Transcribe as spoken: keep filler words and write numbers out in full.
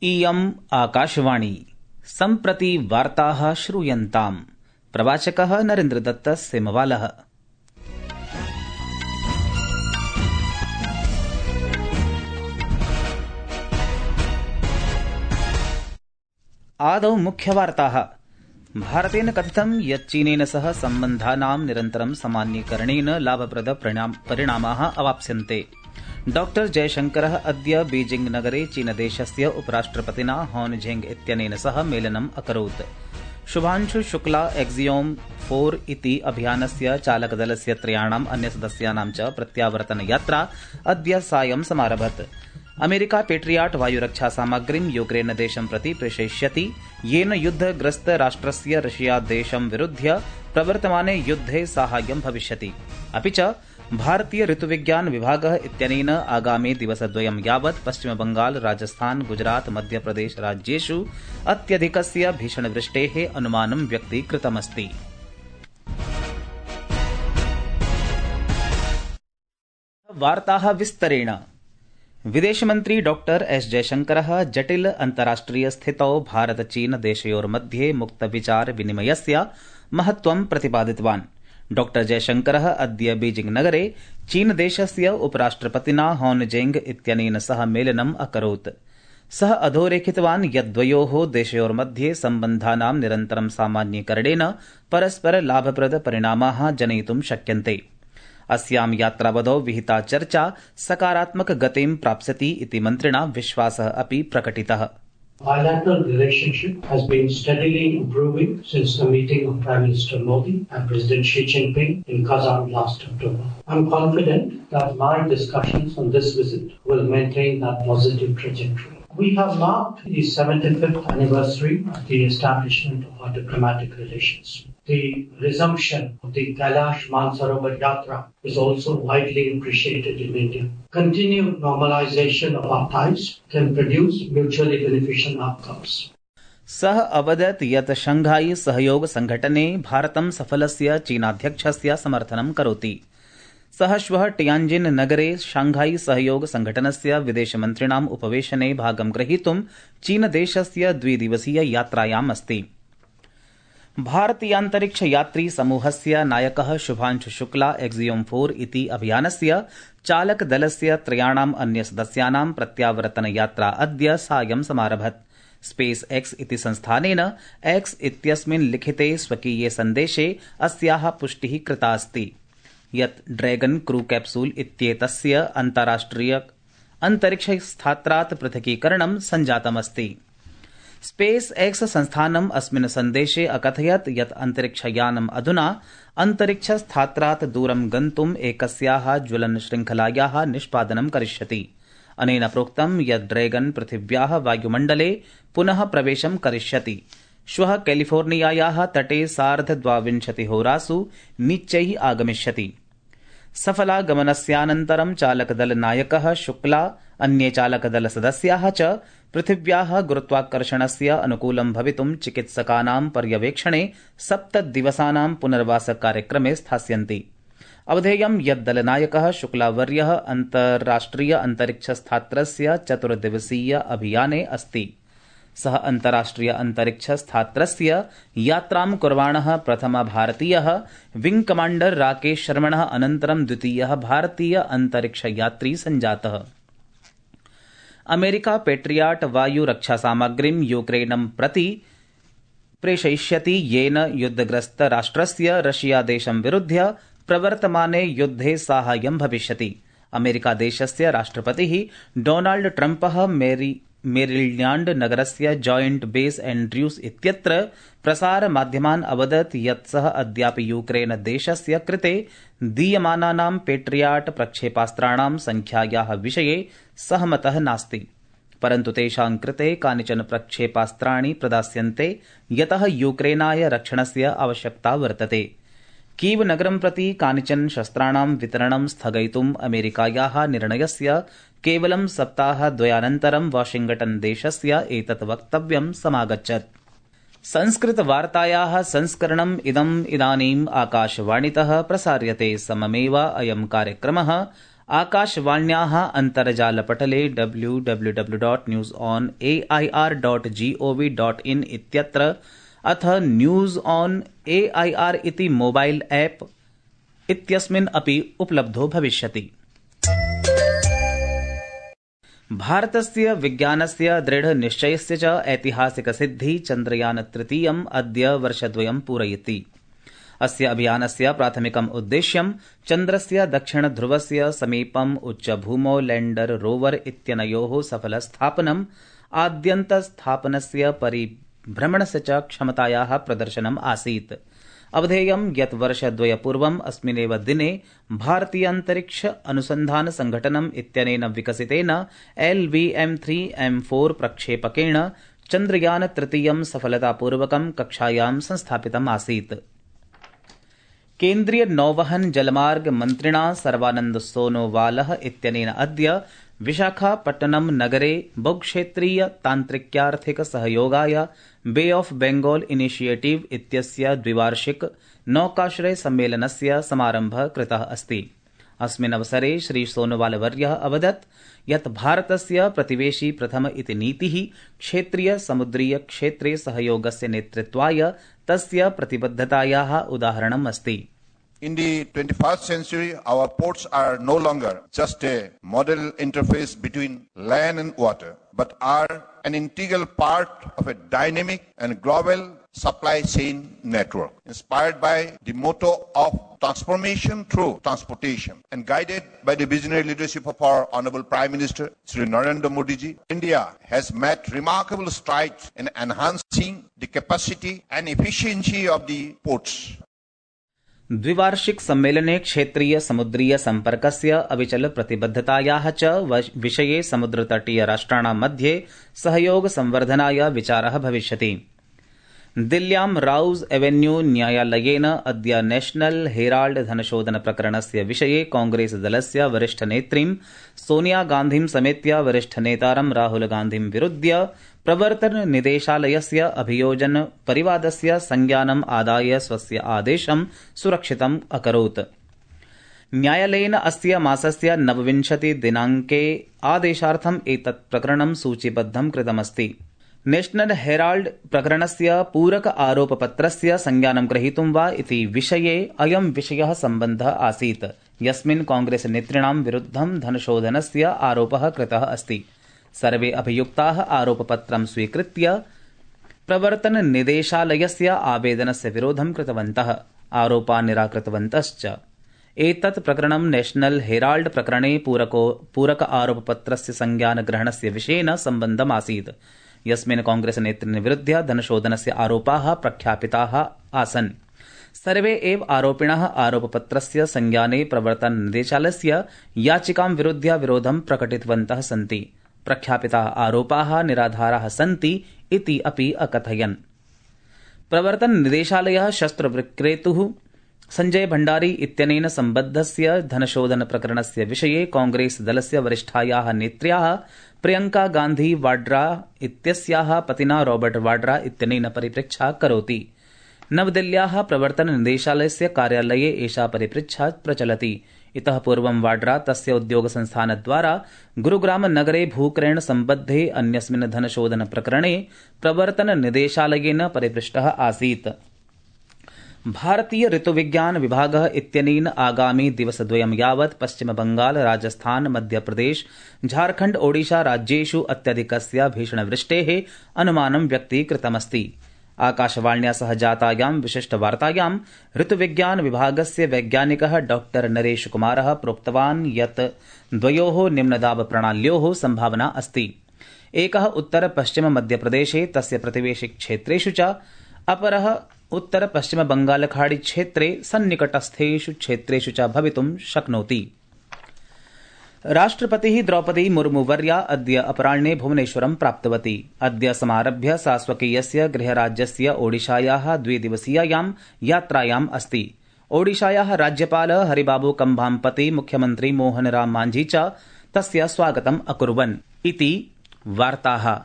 इयम् आकाशवाणी सम्प्रति वार्ताः श्रूयन्ताम्। प्रवाचकः नरेन्द्रदत्तः सेमवालः। आदौ मुख्यवार्ताः। भारतेन कथितं यत् चीनेन सह सम्बन्धानां निरन्तरं सामान्यीकरणेन लाभप्रद परिणामाः अवाप्स्यन्ते। डॉक्टर जयशंकरः अद्य बीजिंग नगरे चीनदेशस्य उपराष्ट्रपतिना हॉन झेंग इत्यनेन सह मेलनम् अकरोत्। शुभांशु शुक्ला एक्सियोम फोर इति अभियानस्य चालकदलस्य त्रयाणाम् अन्यसदस्यानां च प्रत्यावर्तनयात्रा अद्य सायं समारभत। अमेरिका पेट्रियाट् वायुरक्षासामग्रीं यूक्रेनदेशं प्रति प्रेषयिष्यति, येन युद्धग्रस्त राष्ट्रस्य रशियादेशं विरुध्य प्रवर्तमाने युद्धे साहाय्यं भविष्यति। अपि च भारतीय ऋतुविज्ञान विभागः इत्यनेन आगामि दिवसद्वयं यावत् पश्चिमबंगाल, राजस्थान, गुजरात, मध्यप्रदेश राज्येषु अत्यधिकस्य भीषणवृष्टेः अनुमानं व्यक्तीकृतमस्ति। वार्ताः विस्तरेण। विदेशमन्त्री डॉक्टर एस जयशंकरः जटिल अन्ताराष्ट्रिय स्थितौ भारत चीन देशयोर्मध्ये मुक्तविचार विनिमयस्य महत्त्वं प्रतिपादितवान्। डॉक्टर जयशंकरः अद्य बीजिंग नगरे चीनदेशस्य उपराष्ट्रपतिना हॉन झेंग इत्यनेन सह मेलनम् अकरोत्। सः अधोरेखितवान् यत् द्वयोः देशयोर्मध्ये सम्बन्धानां निरन्तरं सामान्यीकरणेन परस्पर लाभप्रद परिणामाः जनयितुं शक्यन्ते। अस्यां यात्रावधौ विहिता चर्चा सकारात्मक गतिं प्राप्स्यति इति मन्त्रिणा विश्वासः अपि प्रकटितः। Bilateral relationship has been steadily improving since the meeting of Prime Minister Modi and President Xi Jinping in Kazan last October. I am confident that my discussions on this visit will maintain that positive trajectory. We have marked the seventy-fifth anniversary of the establishment of our diplomatic relations. The resumption of the Kailash Mansarovar Yatra is also widely appreciated in India. Continued normalization of our ties can produce mutually beneficial outcomes. सः अवदत् यत् Shanghai सहयोग संघटने भारतं सफलस्य चीनाध्यक्षस्य समर्थनं करोति। सः श्वः टियाञ्जिन् नगरे शांघाई सहयोग संघटनस्य विदेशमन्त्रिणाम् उपवेशने भागं ग्रहीतुं चीनदेशस्य द्विदिवसीय यात्रायाम् अस्ति। भारतीयान्तरिक्ष यात्री समूहस्य नायकः शुभांशु शुक्ला एक्सियोम फोर इति अभियानस्य चालकदलस्य त्रयाणाम् अन्यसदस्यानां प्रत्यावर्तनयात्रा अद्य सायं समारभत। स्पेस एक्स इति संस्थानेन एक्स इत्यस्मिन् लिखिते स्वकीये सन्देशे अस्याः पुष्टिः कृता अस्ति यत् ड्रैगन क्रू कैप्सूल इत्येतस्य अन्ताराष्ट्रिय अन्तरिक्षस्थात्रात् पृथकीकरणं सञ्जातमस्ति। स्पेस एक्स संस्थानम् अस्मिन् सन्देशे अकथयत् यत् अन्तरिक्षयानम् अधुना अन्तरिक्षस्थात्रात् दूरं गन्तुम् एकस्याः ज्वलन श्रृङ्खलायाः निष्पादनं करिष्यति। अनेन प्रोक्तं यत् ड्रैगन पृथिव्याः वायुमण्डले पुनः प्रवेशं करिष्यति। श्वः कैलिफोर्नियायाः तटे सार्धद्वाविंशतिहोरासु नीच्चैः आगमिष्यति। सफलागमनस्यानन्तरं चालकदलनायकः शुक्ला अन्ये चालकदलसदस्याः च पृथिव्याः गुरुत्वाकर्षणस्य अनुकूलं भवितुं चिकित्सकानां पर्यवेक्षणे सप्तदिवसानां पुनर्वासकार्यक्रमे स्थास्यन्ति। अवधेयं यत् दलनायकः शुक्लावर्यः अन्ताराष्ट्रिय अन्तरिक्षस्थात्रस्य चतुर्दिवसीय अभियाने अस्ति। सः अन्ताराष्ट्रिय अन्तरिक्षस्थात्रस्य यात्रां कुर्वाणः प्रथमः भारतीयः विंग कमाण्डर राकेश शर्मणः अनन्तरं द्वितीयः भारतीय अन्तरिक्षयात्री सञ्जातः। अमेरिका पेट्रियाट् वायुरक्षासामग्रीं यूक्रेनं प्रति प्रेषयिष्यति, येन युद्धग्रस्त राष्ट्रस्य रशियादेशं विरुध्य प्रवर्तमाने युद्धे साहाय्यं भविष्यति। अमेरिकादेशस्य राष्ट्रपतिः डोनाल्ड ट्रम्पः मेरी मेरिल्याण्ड नगरस्य जॉइंट बेस एंड्र्यूस इत्यत्र प्रसारमाध्यमान् अवदत् यत् सः अद्यापि यूक्रेन देशस्य कृते दीयमानानां पेट्रियाट् प्रक्षेपास्त्राणां संख्यायाः विषये सहमतः नास्ति, परन्तु तेषां कृते कानिचन प्रक्षेपास्त्राणि प्रदास्यन्ते यतः यूक्रेनाय रक्षणस्य आवश्यकता वर्तते। कीव नगरं प्रति कानिचन शस्त्राणां वितरणं स्थगयितुम् अमेरिकायाः निर्णयस्य केवलं सप्ताहद्वयानन्तरं वाशिंग्टन देशस्य एतत् वक्तव्यं समागच्छत्। संस्कृतवार्तायाः संस्करणम् इदम् इदानीम् आकाशवाणीतः प्रसार्यते। सममेव अयं कार्यक्रमः आकाशवाण्याः अन्तर्जालपटले W W W dot news on A I R dot gov dot in इत्यत्र अथ news on A I R इति मोबाइल ऐप इत्यस्मिन् अपि उपलब्धो भविष्यति। भारतस्य विज्ञानस्य दृढनिश्चयस्य च ऐतिहासिकसिद्धि चन्द्रयान तृतीयम् अद्य वर्षद्वयं पूरयति। अस्य अभियानस्य प्राथमिकम् उद्देश्यं चन्द्रस्य दक्षिणध्रुवस्य समीपम् उच्चभूमौ लैण्डर रोवर इत्यनयोः सफलस्थापनम् आद्यन्तस्थापनस्य परिभ्रमणस्य च क्षमतायाः प्रदर्शनम् आसीत्। अवधेयं यत् वर्षद्वयपूर्वम् अस्मिन्नेव दिने भारतीयान्तरिक्ष अनुसन्धान संघटनम् इत्यनेन विकसितेन L V M three M four प्रक्षेपकेण चन्द्रयान तृतीयं सफलतापूर्वकं कक्षायां संस्थापितम् आसीत्। केन्द्रीय नौवहन जलमार्ग मन्त्रिणा सर्वानन्द सोनोवालः इत्यनेन अद्य विशाखापट्टनम नगरे बहुक्षेत्रीय तान्त्रिक्यार्थिक सहयोगाय बे ऑफ बेंगॉल इनिशिएटिव इत्यस्य द्विवार्षिक नौकाश्रय सम्मेलनस्य समारम्भः कृतः अस्ति। अस्मिन् अवसरे श्री सोनोवालवर्यः अवदत् यत् भारतस्य प्रतिवेशी प्रथम इति नीतिः क्षेत्रीय समुद्रीय क्षेत्रे सहयोगस्य नेतृत्वाय तस्य प्रतिबद्धतायाः उदाहरणम् अस्ति। In the twenty-first century, our ports are no longer just a model interface between land and water, but are an integral part of a dynamic and global supply chain network, inspired by the motto of transformation through transportation and guided by the visionary leadership of our Honorable Prime Minister, Shri Narendra Modi ji. India has made remarkable strides in enhancing the capacity and efficiency of the ports. द्विवार्षिक सम्मेलने क्षेत्रीय समुद्रीय सम्पर्कस्य अविचल प्रतिबद्धतायाः च विषये समुद्रतटीय राष्ट्राणां मध्ये सहयोग संवर्धनाय विचारः भविष्यति। दिल्ल्यां राउज एवेन्यू न्यायालयेन अद्य नेशनल हेराल्ड धनशोधन प्रकरणस्य विषये कांग्रेस दलस्य वरिष्ठनेत्रीं सोनिया गान्धीं समेत्य वरिष्ठनेतारं राहुल गान्धीं विरुध्य प्रवर्तन निदेशालयस्य अभियोजन परिवादस्य संज्ञानम् आदाय स्वस्य आदेशं सुरक्षितम् अकरोत्। न्यायालयेन अस्य मासस्य नवविंशति दिनाङ्के आदेशार्थम् एतत् प्रकरणं सूचीबद्धं कृतमस्ति। नेशनल हेराल्ड प्रकरणस्य पूरक आरोपपत्रस्य संज्ञानं ग्रहीतुं वा इति विषये अयं विषयः सम्बद्धः आसीत्, यस्मिन् कांग्रेस नेतॄणां विरुद्धं धनशोधनस्य आरोपः कृतः अस्ति। सर्वे अभियुक्ताः आरोपपत्रं स्वीकृत्य प्रवर्तन निदेशालयस्य आवेदनस्य विरोधं कृतवन्तः, आरोपान् निराकृतवन्तश्च। एतत् प्रकरणं नेशनल हेराल्ड प्रकरणे पूरको पूरक आरोपपत्रस्य संज्ञानग्रहणस्य विषयेन सम्बद्धमासीत्, यस्मिन् कांग्रेस नेतॄन् विरुध्य धनशोधनस्य आरोपाः प्रख्यापिताः आसन्। सर्वे एव आरोपिणः आरोपपत्रस्य संज्ञाने प्रवर्तन निदेशालयस्य याचिकां विरुध्य विरोधं प्रकटितवन्तः सन्ति। प्रख्यापिताः आरोपाः निराधाराः सन्ति इति अपि अकथयन्। प्रवर्तन निदेशालयः शस्त्रविक्रेतुः संजय भण्डारी इत्यनेन सम्बद्धस्य धनशोधन प्रकरणस्य विषये कांग्रेस दलस्य वरिष्ठायाः नेत्र्याः प्रियंका गान्धी वाड्रा इत्यस्याः पतिना रॉबर्ट वाड्रा इत्यनेन परिपृच्छा करोति। नवदिल्ल्याः प्रवर्तन निदेशालयस्य कार्यालये एषा परिपृच्छा प्रचलति। इतः पूर्वं वाड्रा तस्य उद्योगसंस्थानद्वारा गुरुग्राम नगरे भूक्रयण सम्बद्धे अन्यस्मिन् धनशोधन प्रकरणे प्रवर्तन निदेशालयेन परिपृष्टः आसीत्। भारतीय ऋतुविज्ञान विभागः इत्यनेन आगामि दिवसद्वयं यावत् पश्चिम बंगाल, राजस्थान, मध्यप्रदेश, झारखण्ड, ओडिशा राज्येषु अत्यधिकस्य भीषणवृष्टेः अनुमानं व्यक्तीकृतमस्ति। आकाशवाण्या सह जातायां विशिष्टवार्तायां ऋतुविज्ञान विभागस्य वैज्ञानिकः डॉक्टर नरेश कुमारः प्रोक्तवान् यत् द्वयोः निम्नदाब प्रणाल्योः सम्भावना अस्ति। एकः उत्तर पश्चिम मध्यप्रदेशे तस्य प्रतिवेशि क्षेत्रेषु च, अपरः उत्तर पश्चिम बंगाल खाड़ी क्षेत्रे सन्निकटस्थेषु क्षेत्रेषु च भवितुं शक्नोति। राष्ट्रपतिः द्रौपदी मुर्मुवर्या अद्य अपराह्णे भुवनेश्वरं प्राप्तवती। अद्य समारभ्य सा स्वकीयस्य गृहराज्यस्य ओडिशायाः द्विदिवसीयायां यात्रायाम् अस्ति। ओडिशायाः राज्यपालः हरिबाबू कंभाम्पति, मुख्यमन्त्री मोहन राम मांझी च तस्य स्वागतम् अकुर्वन् इति वार्ताः।